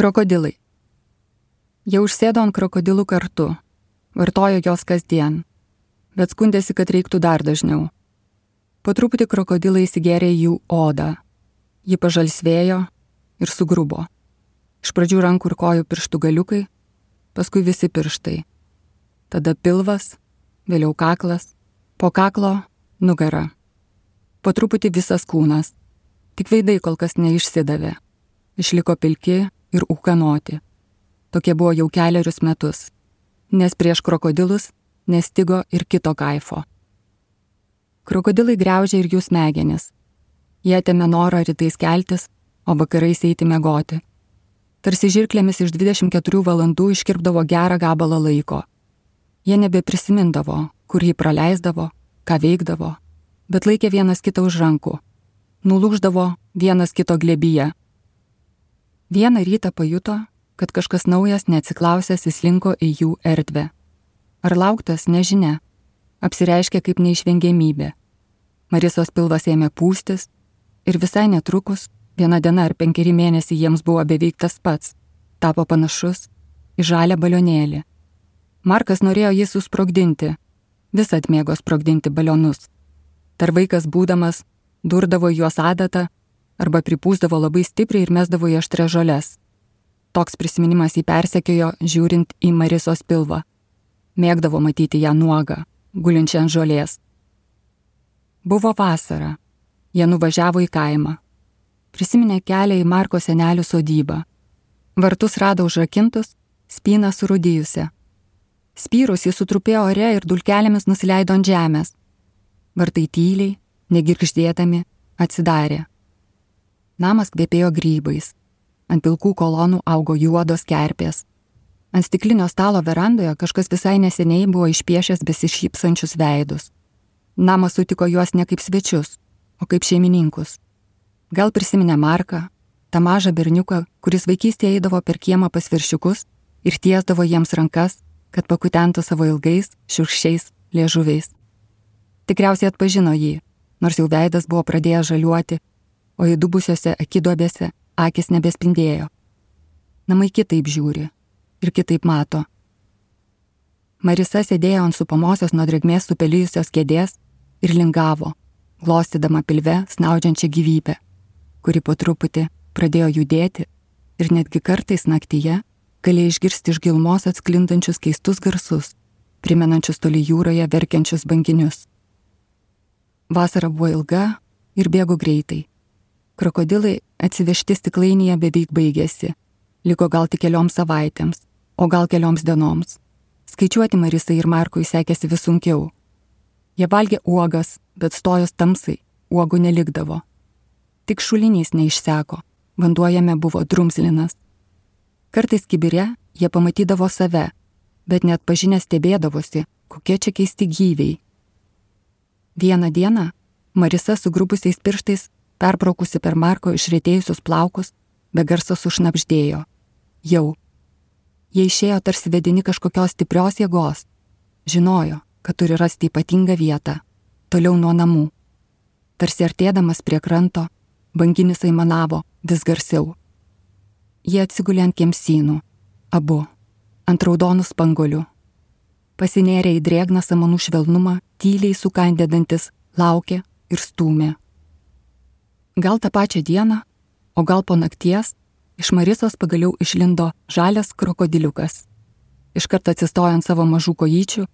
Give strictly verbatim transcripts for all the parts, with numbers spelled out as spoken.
Krokodilai. Jie užsėdo ant krokodilų kartu, vartojo jos kasdien, bet skundėsi, kad reiktų dar dažniau. Po truputį krokodilai įsigėrė į jų odą. Ji pažalsvėjo ir sugrubo. Iš pradžių rankų ir kojų pirštų galiukai, paskui visi pirštai. Tada pilvas, vėliau kaklas, po kaklo nugara. Po truputį visas kūnas. Tik veidai kol kas neišsidavė. Išliko pilki ir ūkanoti. Tokie buvo jau kelerius metus, nes prieš krokodilus nestigo ir kito kaifo. Krokodilai griaužė ir jų smegenis. Jie atėmė norą rytais keltis, o vakarais eiti miegoti. Tarsi žirklėmis iš dvidešimt keturių valandų iškirpdavo gerą gabalą laiko. Jie nebeprisimindavo, kur jį praleisdavo, ką veikdavo, bet laikė vienas kitą už rankų. Nulūždavo vienas kito glėbyje. Vieną rytą pajuto, kad kažkas naujas neatsiklausęs įslinko į jų erdvę. Ar lauktas, nežinia, apsireiškė kaip neišvengiamybė. Marisos pilvas ėmė pūstis ir visai netrukus, viena diena ar penkeri mėnesiai jiems buvo beveik tas pats, tapo panašus į žalią balionėlį. Markas norėjo jį susprogdinti, visad mėgo sprogdinti balionus. Dar vaikas būdamas durdavo juos adatą arba pripūsdavo labai stipriai ir mesdavo į aštrias žoles. Toks prisiminimas jį persekiojo, žiūrint į Marisos pilvą. Mėgdavo matyti ją nuogą, gulinčią ant žolės. Buvo vasara. Jie nuvažiavo į kaimą. Prisiminė kelią į Marko senelių sodybą. Vartus rado užrakintus, spyną surūdijusią. Spyrus jis sutrupėjo ore ir dulkelėmis nusileido ant žemės. Vartai tyliai, negirgždėdami, atsidarė. Namas kvepėjo grybais. Ant pilkų kolonų augo juodos kerpės. Ant stiklinio stalo verandoje kažkas visai neseniai buvo išpiešęs besišypsančius veidus. Namas sutiko juos ne kaip svečius, o kaip šeimininkus. Gal prisiminė Marką, tą mažą berniuką, kuris vaikystėje eidavo per kiemą pas viršiukus ir tiesdavo jiems rankas, kad pakutentų savo ilgais, šiurkščiais liežuviais. Tikriausiai atpažino jį, nors jau veidas buvo pradėjęs žaliuoti, o įdubusiose akiduobėse akis nebespindėjo. Namai kitaip žiūri ir kitaip mato. Marisa sėdėjo ant supamosios nuo drėgmės supelijusios kėdės ir lingavo, glostydama pilve snaudžiančią gyvybę, kuri po truputį pradėjo judėti ir netgi kartais naktyje galėjo išgirsti iš gilumos atsklindančius keistus garsus, primenančius toli jūroje verkiančius banginius. Vasara buvo ilga ir bėgo greitai. Krokodilai atsivežti stiklainyje beveik baigėsi. Liko gal tik kelioms savaitėms, o gal kelioms dienoms. Skaičiuoti Marisai ir Markui sekėsi vis sunkiau. Jie valgė uogas, bet stojus tamsai, uogų nelikdavo. Tik šulinys neišseko, vanduo jame buvo drumzlinas. Kartais kibire jie pamatydavo save, bet net pažinę stebėdavosi, kokie čia keisti gyviai. Vieną dieną Marisa su grubusiais pirštais, perbraukusi per Marko išretėjusius plaukus, be garso sušnabždėjo. Jau. Jie išėjo tarsi vedini kažkokios stiprios jėgos. Žinojo, kad turi rasti ypatingą vietą, toliau nuo namų. Tarsi artėdamas prie kranto, banginis aimanavo vis garsiau. Jie atsigulė ant kemsynų, abu, ant raudonų spanguolių. Pasinėrė į drėgną samanų švelnumą, tyliai sukandėdantis, laukė ir stūmė. Gal tą pačią dieną, o gal po nakties, iš Marisos pagaliau išlindo žalias krokodiliukas. Iškart atsistojo ant savo mažų kojyčių,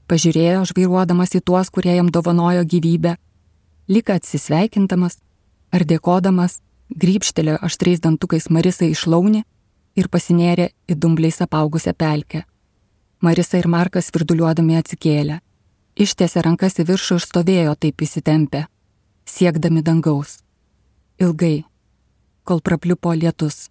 pažiūrėjo, žvairuodamas į tuos, kurie jam dovanojo gyvybę, lyg atsisveikindamas ar dėkodamas, grybštelėjo aštriais dantukais Marisai iš launį ir pasinėrė į dumbliais apaugusią pelkę. Marisa ir Markas virduliuodami atsikėlė. Ištiesė rankas į viršų ir stovėjo taip įsitempę, siekdami dangaus. Ilgai, kol prapliupo lietus.